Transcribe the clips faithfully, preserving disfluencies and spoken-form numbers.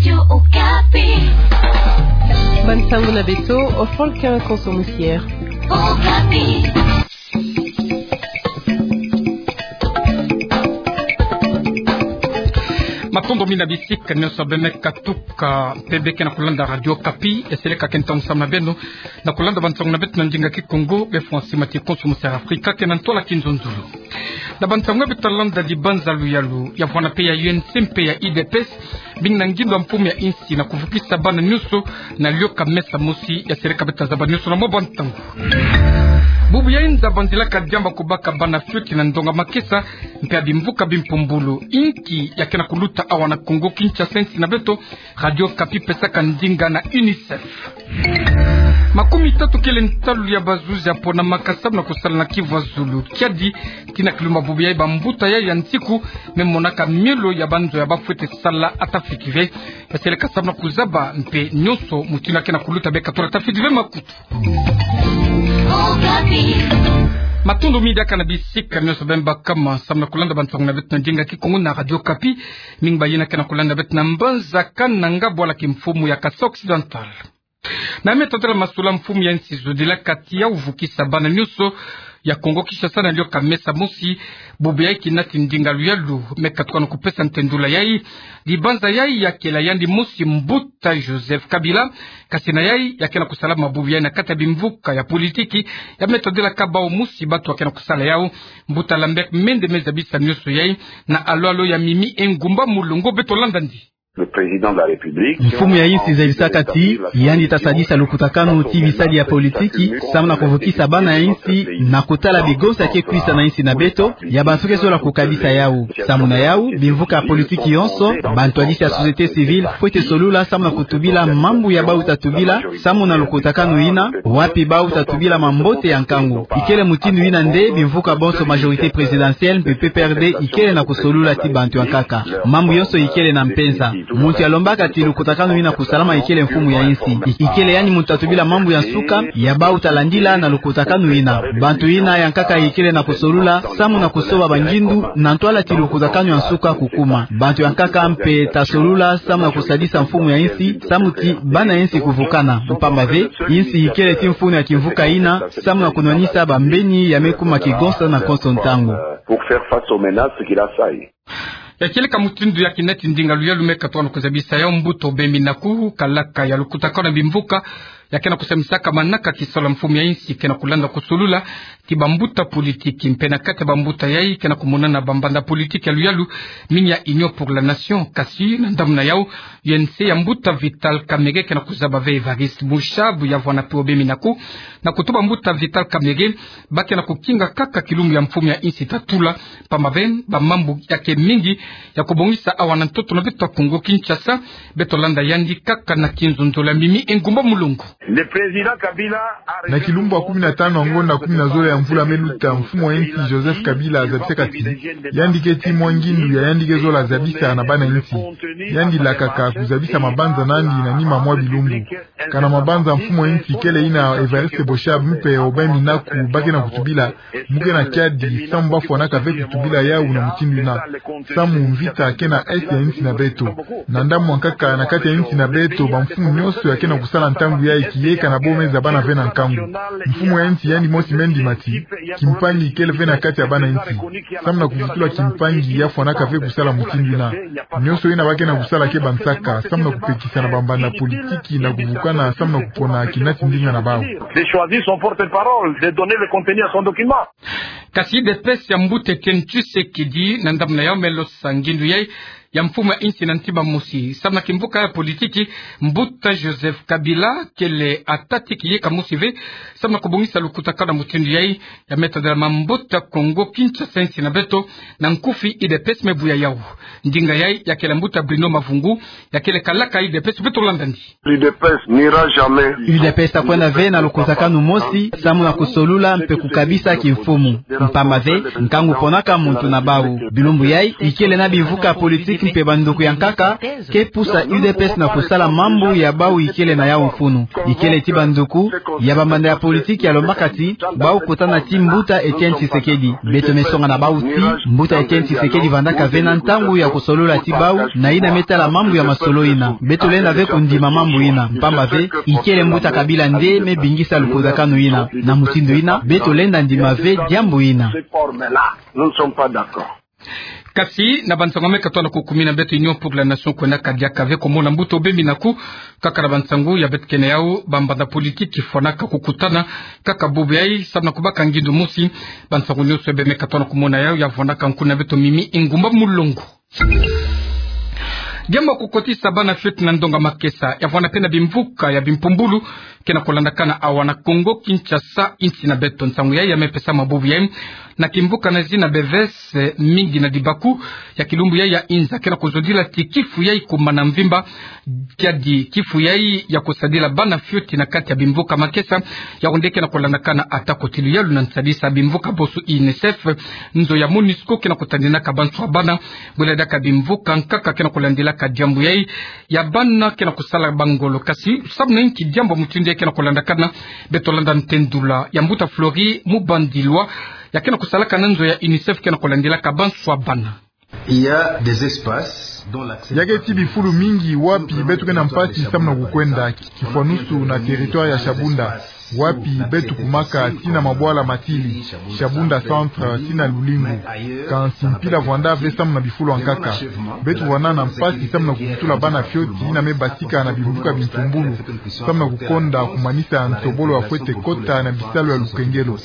Radio Okapi. Bansango na beto, Ofol Kara Konso Musier. Okapi. Matondo mingi na bisika nyonso bê me katuka mpe bê ke na kulanda Radio Okapi, e seleka ke ntangu samu na beno na kulanda bansango na beto na ndinga Kikongo, bê fwa nsi mati Konso Musier Afrika ke na ntwala kinzonzolo. Na bansango beto ta landa, dibanza luyalu ya vwanda mpe ya U N C mpe ya U D P S, bing na ngindo ya mfumu ya insi na kuvukisa bana nyonso na lioka mesa mosi ya seleka. Beto ta zaba nyonso na mwa bansango. Bubu yayi nza vandilaka diamba kubaka bana fioti na ndonga makesa mpe ya bimvuka bimpumbulu. Inki ya ke na kuluta awa na Kongo Kinshasa, insi na beto? Radio Okapi pesaka ndinga na UNICEF. Makumi tatu kele ntalu ya bazuzi ya ponamaka samu na kusala na Kivu ya Zulu. Kiadi tii na kilumbu bubu yayi, bambuta yayi ya nsiku me monaka mielo ya banzo ya bafwete sala ata fiti ve. E seleka samu na kuzaba mpe nyonso mutindu ya ke na kuluta, bê katula ata fiti ve makutu. Matondo mingi diaka na bisika nyonso bê me bakama samu na kulanda bansango na beto na ndinga Kikongo na Radio Okapi. Mingi bayina ke na kulanda beto na mbanza Kananga, bwala kimfumu ya Kasaï Occidental. Na me tadala masula, mfumu ya insi zodilaka tii ya vukisa bana nyonso ya Kongo Kinshasa na lioka mesa mosi. Bubu yayi kinati ndinga luyalu me katuka na kupesa ntendula yayi. Dibanza yayi ya kele yandi mosi mbuta Joseph Kabila, kasi na yayi ya ke na kusala mabubu yayi na kati ya bimvuka ya politiki, ya me tadilaka bawu mosi bantu ya ke na kusala yawu. Mbuta Lambert Mende me zabisa nyonso yayi na alo-alo ya Mimi Engumba Mulongo. Beto landa ndi. Le président de la République. Mfumu ya insi zabisaka tii yandi ta sadisa lukutakanu tii bisadi ya politiki samu na kuvukisa bana ya insi na kutala bigonsa ke kwisa na insi na beto, ya bantu ke zola kukabisa yawu. Samu na yawu, bimvuka ya politiki yonso, bantwadisi ya société civile, fwete solula samu na kutubila mambu ya bawu ta tubila samu na lukutakanu yina, wapi bawu ta tubila mambote ya nkangu. Ikele mutindu yina nde bimvuka bonso majorité présidentielle mpe P P R D ikele na kusolula tii bantu ya nkaka. Mambu yonso ikele na mpenza. Muntu ya lombaka tii lukutakanu yina kusalama ikele mfumu ya insi. I-, ikele yandi muntu ta tubila mambu ya nsuka, ya bawu ta landila na lukutakanu yina. Bantu yina ya nkaka ikele na kusolula samu na kusoba bangindu na ntwala tii lukutakanu ya nsuka kukuma. Bantu ya nkaka mpe ta solula samu na kusadisa mfumu ya insi, samu tii bana ya insi kuvukana. Mpamba ve, insi ikele tii mfunu ya kimvuka yina samu na kunwanisa bambeni ya me kuma kigonsa na konso ntangu. Pour faire face aux menaces qu'il a saillies. Ya kieleka mutindu ya kinati ndinga luyalu me katuka na kuzabisa yawu, mbuta Obembi Naku, kalaka ya lukutakanu ya bimvuka ya ke na kusamisaka manaka kisalu ya mfumu ya insi ke na kulanda kusolula tii bambuta politiki. Mpe na kati ya bambuta yayi ke na kumonana bambanda politiki ya luyalu, mingi ya Union pour la Nation, kasi na ndambu na yawu, U N C ya mbuta Vital Kamerhe ke na kuzaba ve Évariste Mushabu ya vwanda mpe Obembi Naku, na kutuba mbuta Vital Kamerhe ba ke na kukinga kaka kilumbu ya mfumu ya insi ta tula, mpamba ve bamambu ya ke mingi ya kubongisa awa na ntoto na beto ya Kongo Kinshasa. Beto landa yandi kaka na kinzonzolo ya Mimi Engumba Mulongo. Le président Kabila a... Na kilumbu ya kumi na tanu ya ngonda kumi na zole ya mvula me luta, mfumu ya insi Joseph Kabila zabisaka tii yandi ke tii mwa ngindu ya yandi ke zola zabisa na bana insi. Yandi lakaka kuzabisa mabanza na yandi na nima mwa bilumbu. Kana mabanza mfumu ya insi kele yina Évariste Mushabu mpe Obembi Naku ba ke na kutubila, mu ke na kiadi samu bafwanaka ve kutubila yawu na mutindu yina. Samu mvita ke na est ya insi na beto. Na ndambu ya nkaka, na kati ya insi na beto, bamfumu nyonso ya ke na kusala ntangu yayi, kiyeka na bo me zabana ve na nkangu. Mfumu ya insi yandi mosi me ndima tii kimpangi ikele ve na kati ya bana insi. Samu na kuvutula kimpangi, ya fwanaka ve kusala mutindu yina. Nyonso yina ba ke na kusala ke bansaka samu na kupekisa na bambanda politiki na kuvukana samu na kupona kinati ndinga na bawu. De choisir son porte-parole, de donner le contenu à son document. Kasi U D P S ya mbuta Étienne Tshisekedi, na ndambu na yawu, me losa ngindu yayi ya mfumu ya insi na ntima mosi. Samu na kimvuka ya politiki, mbuta Joseph Kabila kele ata tii kiyeka mosi ve samu na kubongisa lukutakanu ya mutindu yayi. Ya me tadala mbuta Kongo Kinshasa, insi na beto, na nkufi U D P S me buya yawu. Ndinga yayi ya kele mbuta Bruno Mavungu, ya kele kalaka U D P S. Beto landa ndi. U D P S n'ira jamais. U D P S ta kwenda ve na lukutakanu mosi samu na kusolula mpe kukabisa kimfumu. Mpamba ve, nkangu ponaka muntu na bawu. Bilumbu yayi ikele na bimvuka politiki Mpe banduku ya nkaka ke pusa U D P S na kusala mambu ya bau ikele na yau mfunu. Ikele ti banduku ya bamanda ya politiki ya lombaka ti bau kutana ti mbuta Etienne Tshisekedi. Beto me songa na bau ti mbuta Etienne Tshisekedi vandaka ve na ntangu ya kusolola ti bau na yina me tala mambu ya masolo yina. Beto lenda ve kundima mambu yina, mpamba ve ikele mbuta Kabila nde me bingisa lukuzakanu yina. Na mutindu yina, beto lenda ndima ve diambu yina. Nous ne sommes pas d'accord. Kasi na bansangu me katoa na kukumina, beto Union pour la Nation kwendaka diaka ve ko mona mbuta obembi naku. Kaka na bansangu ya beto kena yau, bamanda politiki fwanaka kukutana kaka bubu yai, samu na kubaka ngindu mosi. Bansangu nyonso ya be me katoa na kumona yau, ya vwanaka nkuna beto Mimi Ingumba Mulongo. Diambu ya kukotisa bana fioti na ndonga makesa, ya vwana pe na bimvuka ya bimpumbulu, kena kulandakana awa na Kongo Kinshasa, insi na beto. Nsangu yai ya me pesama bubu yai na kimvuka na zina Beves, mingi na dibaku ya kilumbu yai ya inza, kena kuzodila ti kifu yai kumana mvimba. Kiadi kifu yai ya kusadila bana fioti na kati ya bimvuka makesa, yau nde kena kulandakana atako ti luyalu na nsadisa bimvuka boso UNICEF, nzo ya MONUSCO kena kutandinaka banswa bana. Bwela diaka bimvuka nkaka kena kulandilaka diambu yai ya bana kena kusala bangolo. Kasi samu na inki diambu mutindu yai kena kulandakana? Beto landa ntendula ya mbuta Flori Mubandilwa, ya kena kusalaka na nzo ya UNICEF kena kulandilaka banswa bana. Il y a des espaces dont l'accès... Ya ke ti bifulu mingi wapi beto ke na mpasi samu na kukwenda, kifwanusu na territoire ya Shabunda, wapi beto kumaka ti na mabwala matili, Shabunda Centre ti na Lulingu. Kansi mpila vwanda ve samu na bifulu ya nkaka. Beto vwanda na mpasi samu na kuvutula bana fioti yina me basika na bimvuka bimpumbulu, samu na kukonda kumanisa ya nsobolo ya fwete kota na bisalu ya lukengelo.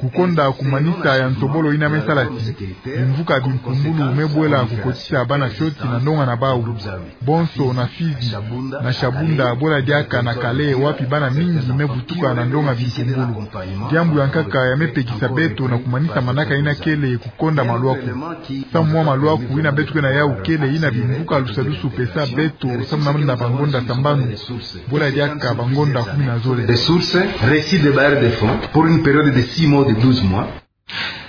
Kukonda kumanisa ya nsobolo yina me sala ti bimvuka bimpumbulu me bwela kukotisa bana fioti na ndonga na bau. Bonso na Fizi, na Shabunda, bwela diaka na Kale, wapi bana mingi me vutuka na ndonga bimpumbulu. Diambu ya nkaka ya me pekisa beto na kumanisa manaka yina kele kukonda malwaku. Samu mwa malwaku yina beto ke na yau kele yina bimvuka lusadusu pesa beto, samu na bangonda sambanu, bwela diaka bangonda kumi na zole. Ressources, récit des bailleurs de fonds pour une période de six mois ou de douze mois.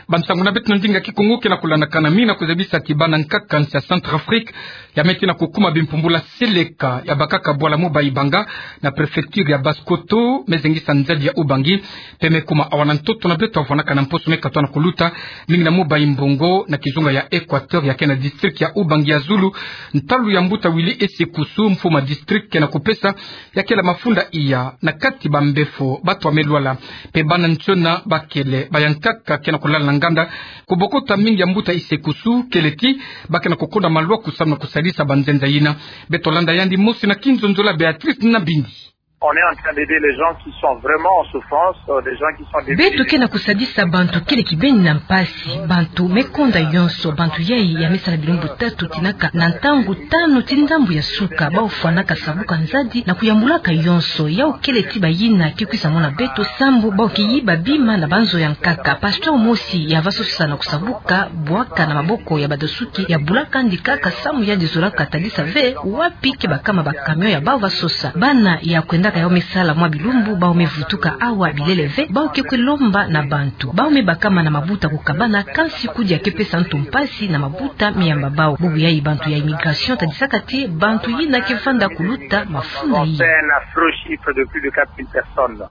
Bansangu na beto na ndinga Kikongo kena kulandakana mingi na kuzabisa ti bana nkaka nsi ya Centrafrique ya me ti na kukuma bimpumbulu ya seleka, ya bakaka bwala Mobali Banga na préfecture ya Basse-Kotto, me zengisa nzadi ya Ubangi, pe me kuma awa na ntoto na beto ya vwanaka na mposo me katoa na kuluta, mingi na Mobali Mbongo na kizunga ya Equateur ya ke na district ya Ubangi ya zulu. Ntalu ya mbuta Willy Esekusu, mfumu ya district, kena kupesa ya kela mafunda iya na kati bambefo, bato ya me lwala pe bana nsiona bakele, baya nkaka kena kulala na nganda. Kubokota mingi ya mbuta Esekusu kele ti ba kena kukonda malwaku samu na kusadisa banzenza yina. Beto landa yandi mosi na kinzonzolo ya Béatrice Nabindi. On est en train d'aider les gens qui sont vraiment en souffrance, euh, des gens qui sont déprimés. Beto kena kusadisa bantu kele kibeni na mpasi, bantu me konda yonso. Bantu yai ya me sala bilumbu tatu, tinaka na ntangu tanu ti ndambu ya suka, bau fwanaka sabuka nzadi na kuyambulaka yonso. Yau kele ti bayina ke kwisa mona beto, sambu bau ke yiba bima na banzo ya nkaka. Pasteur mosi ya va sosa na kusabuka bwaka na maboko ya badosuki, ya bula kandi kaka samu yandi zolaka tadisa ve wapi ke bakama ba camion ya bau va sosa. Bana ya kwendaka yau me sala mwa bilumbu, bau me vutuka awa bilele ve, bau ke kwe lomba na bantu. Bau me bakama na mabuta kukabana, kansi kudia ke pesa ntu mpasi na mabuta me yamba bau. Bubu yai bantu ya immigration tadisaka ti bantu yina ke vanda kuluta mafunda yai. On fait un affreux chiffre de plus de quatre mille personnes.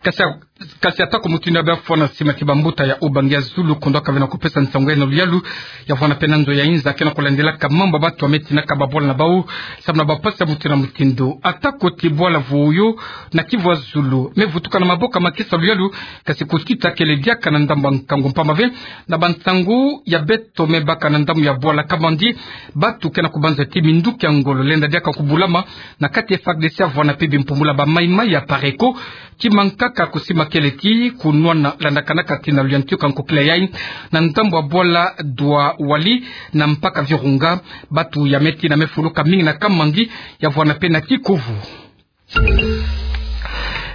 Kasi, kasi atako mutindu ya be fwana sima ti bambuta ya Ubangi ya zulu, kondo aka vena kupesa nsangu ya na luyalu, ya vwana pe na nzo ya inza kena kulandilaka mambu ya bato ya me tinaka babwala na bau samu na bampasi ya mutindu na mutindu. Atako ti bwala Vuoyo na Kivu ya zulu me vutuka na maboko ya makesa luyalu, kasi kukita kele diaka na ndambu ya nkangu, mpamba ve na bansangu ya beto me baka na ndambu ya bwala Kamandi, bato kena kubanza ti minduki ya ngolo lenda diaka kubulama na kati ya F A R D C ya vwana pe bimpumbulu ya ba Mai Mai ya Pareko. Ti mankaka kusimba kele ti kunwana landakanaka tina luyantiuka nkokila yai na ndambu ya bwala Dwa Wali na mpaka Virunga. Bato ya me tina me fuluka mingi na Kamandi, ya vwana pe na Kikuvu.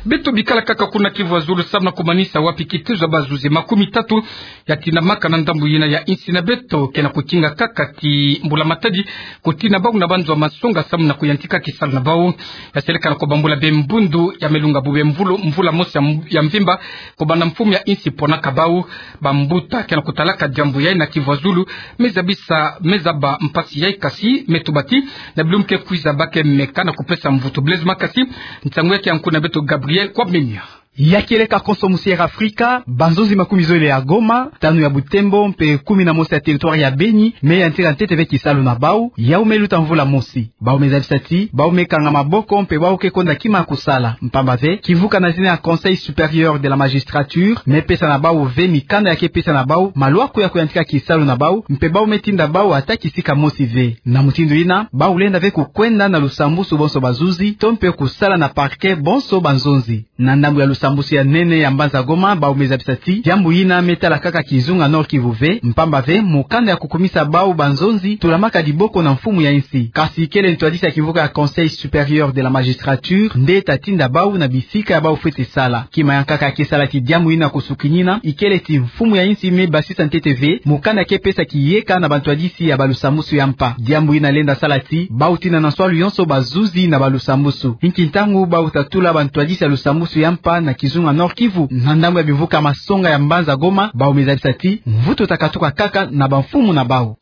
Beto bikala kaka kuna Kivu ya Zulu samu na kumanisa wapi kitezo ya bazuzi makumi tatu ya tinamaka na ndambu yina ya insi na beto, ke na kutinga kaka ti mbula matadi, kutina bau na banzo ya masonga samu na kuyantika kisalu na bau. Ya seleka na kubambula be mbundu ya melunga bu be mvula, mvula mosi ya m-, ya mvimba, kubanda mfumu ya insi ponaka bau. Bambuta ke na kutalaka diambu yayi na Kivu ya Zulu, me zabisa, me zaba mpasi yayi kasi, me tuba ti, na bilumbu ke kwiza ba ke meka na kupesa mvutu. Blaise Makasi, nsangu yake ya nkuna beto Gabriel Kwame Mia. Ya kieleka konso musi ya Afrika, banzonzi makumi zole ya Goma, tanu ya Butembo, mpe kumi na mosi ya territoire ya Beni, me yantika ntete ve kisalu na bau, yau me luta mvula mosi. Bau me zabisa ti, bau me kanga maboko, mpe bau ke konda kima kusala. Mpamba ve, kivuka na zina ya Conseil supérieur de la magistrature, me pesa na bau ve mikanda ya ke pesa na bau malwaku ya kuyantika kisalu na bau, mpe bau me tinda bau ata kisika mosi ve. Na mutindu yina, bau lenda ve kukwenda na lusambusu bonso bazuzi, to mpe kusala na parquet bonso banzonzi. Na ndambu ya lusambusu ya nene ya mbanza Goma, bau me zabisa ti, diambu yina me tala kaka kizunga Nord-Kivu ve, mpamba ve, mukanda ya kukumisa bau banzonzi, tulamaka diboko na mfumu ya insi. Kasi kele ntwadisi ya kivuka ya Conseil supérieur de la magistrature, nde ta tinda bau na bisika ya bau fwete sala. Kima ya nkaka ya ke sala ti diambu yina kusukinina, ikele ti mfumu ya insi me basisa ntete ve mukanda ke pesa kiyeka na bantwadisi ya balusambusu ya mpa. Diambu yina lenda sala ti bau tina na nswalu yonso bazuzi na balusambusu. Inki ntangu bau ta tula bantwadisi ya lusambusu ya mpa na kizunga Nord-Kivu? Na ndambu ya bivuka masonga ya mbanza Goma, bau me zabisa ti mvutu ta katuka kaka na bamfumu na bau.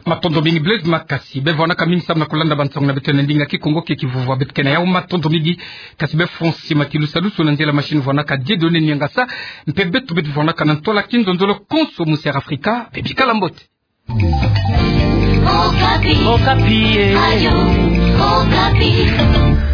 Matondo mingi Blaise Makasi. Be vwanaka mingi samu na kulanda bansangu na beto na ndinga Kikongo ke kivuvwa beto ke na yau. Matondo mingi. Kasi be Francis Matilusalusu, na nzela machine vwanaka Dieudonné Niangasa. Mpe beto beto vwanaka na ntwala kinzonzolo konso musi ya Afrika. Be bikala mbote. Okapi. Okapi, eh. Radio Okapi.